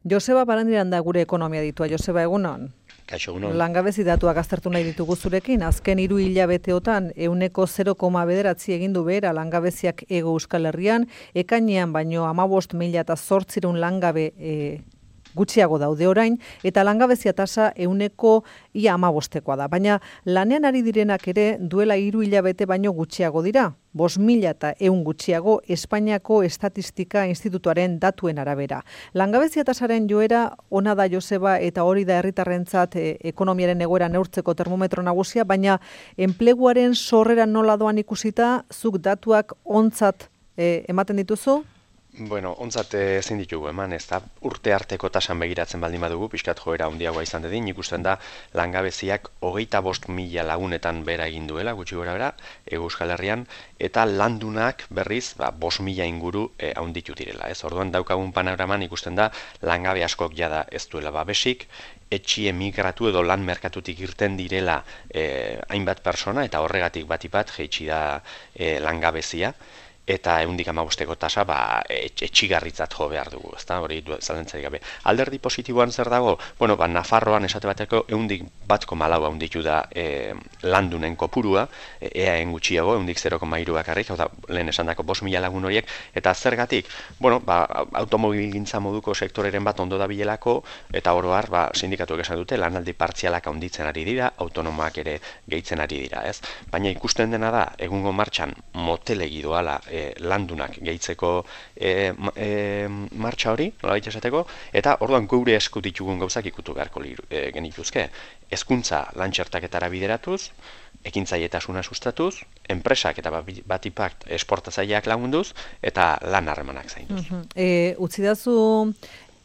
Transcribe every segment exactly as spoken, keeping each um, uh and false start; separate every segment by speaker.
Speaker 1: Joseba Barandiran da gure ekonomia ditua. Joseba, egunon?
Speaker 2: Kaixo, egunon.
Speaker 1: Langabezi datuak aztertu nahi ditugu zurekin. Azken hiru hilabeteotan ehuneko zero koma bederatzi egin du behera langabeziak Hego Euskal Herrian, ekainean baino hamabost mila eta zortziehun langabe e, gutxiago daude orain, eta langabezia tasa ehuneko ia hamabostekoa da. Baina lanean ari direnak ere duela hiru hilabete baino gutxiago dira. Bost mila eta ehun gutxiago Espainiako Estatistika Institutuaren datuen arabera. Langabezia tasaren joera ona da, Joseba, eta hori da herritarrentzat e, ekonomiaren egoera neurtzeko termometro nagusia, baina enpleguaren sorrera nola doan ikusita, zuk datuak ontzat e, ematen dituzu?
Speaker 2: Bueno, ontzat ezin ditugu eman, ez da urte arteko tasan begiratzen baldin badugu, pixkat joera handiagoa izan dedin, ikusten da langabeziak hogeita bost mila lagunetan bera egin duela, gutxi gora bera, Hego Euskal Herrian, eta landunak berriz, ba, bost mila inguru e, haunditu direla. Ez? Orduan daukagun panoraman ikusten da langabe askok jada ez duela babesik, etxi emigratu edo lan merkatutik irten direla e, hainbat persona, eta horregatik batipat jeitsi da e, langabezia, eta ehundik hamabosteko tasa ba, etxigarritzat jo behar dugu, ezta? Hori zalantzarik gabe. Alderdi positiboan zer dago? Bueno, ba, Nafarroan esate bateko ehundik bat koma lau handitu da e, landunen kopurua, e, eaen gutxiago, ehundik zero koma hiru bakarrik, hau da, lehen esandako bost mila lagun horiek, eta zergatik, bueno, ba, automobilgintza moduko sektoreren bat ondo dabilelako, eta oro har, ba, sindikatuek esan dute, lanaldi partzialak handitzen ari dira, autonomoak ere gehitzen ari dira, ez? Baina ikusten dena da, egungo martxan motelegi doala e, landunak gehitzeko e, e, martxa hori, nolabait esateko, eta orduan geure esku ditugun gauzak ikutu beharko e, genituzke. Hezkuntza lantxertaketara bideratuz, ekintzailetasuna sustatuz, enpresak eta batipat esportatzaileak lagunduz, eta lan harremanak zainduz.
Speaker 1: Uh-huh. e, Utzidazu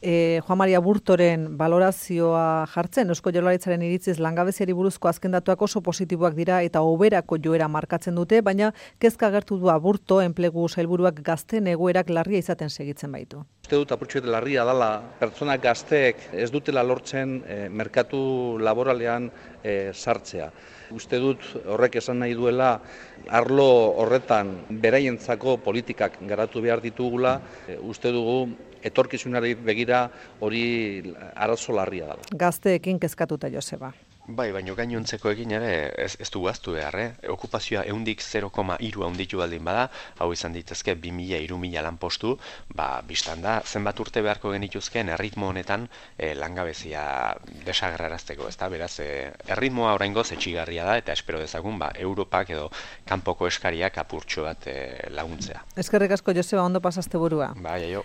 Speaker 1: E, Juan Maria Burtoren balorazioa jartzen, Eusko Jaurlaritzaren iritziz langabeziari buruzko azken datuak oso positiboak dira eta hoberako joera markatzen dute, baina kezka agertu du Burto enplegu sailburuak gazteen egoerak larria izaten segitzen baitu.
Speaker 3: Uste dut apurtxoet larria dela pertsona gazteek ez dutela lortzen e, merkatu laboralean e, sartzea. Uste dut horrek esan nahi duela arlo horretan beraientzako politikak garatu behar ditugula, e, uste dugu etorkizunari begira hori arazo larria dela.
Speaker 1: Gazteekin kezkatuta, Joseba.
Speaker 2: Bai, baina gainontzeko egin ere ez, ez du gaztu behar, eh? Okupazioa ehundik zero koma hiru handitu baldin bada, hau izan ditezke bi mila hiru mila lanpostu, ba, biztan da, zenbat urte beharko genituzkeen erritmo honetan eh, langabezia desagerrarazteko, ez da? Beraz, eh, erritmoa oraingoz etxigarria da, eta espero dezagun, ba, Europak edo kanpoko eskariak apurtxo bat eh, laguntzea.
Speaker 1: Eskerrik asko, Joseba, ondo pasaste burua.
Speaker 2: Bai, aio.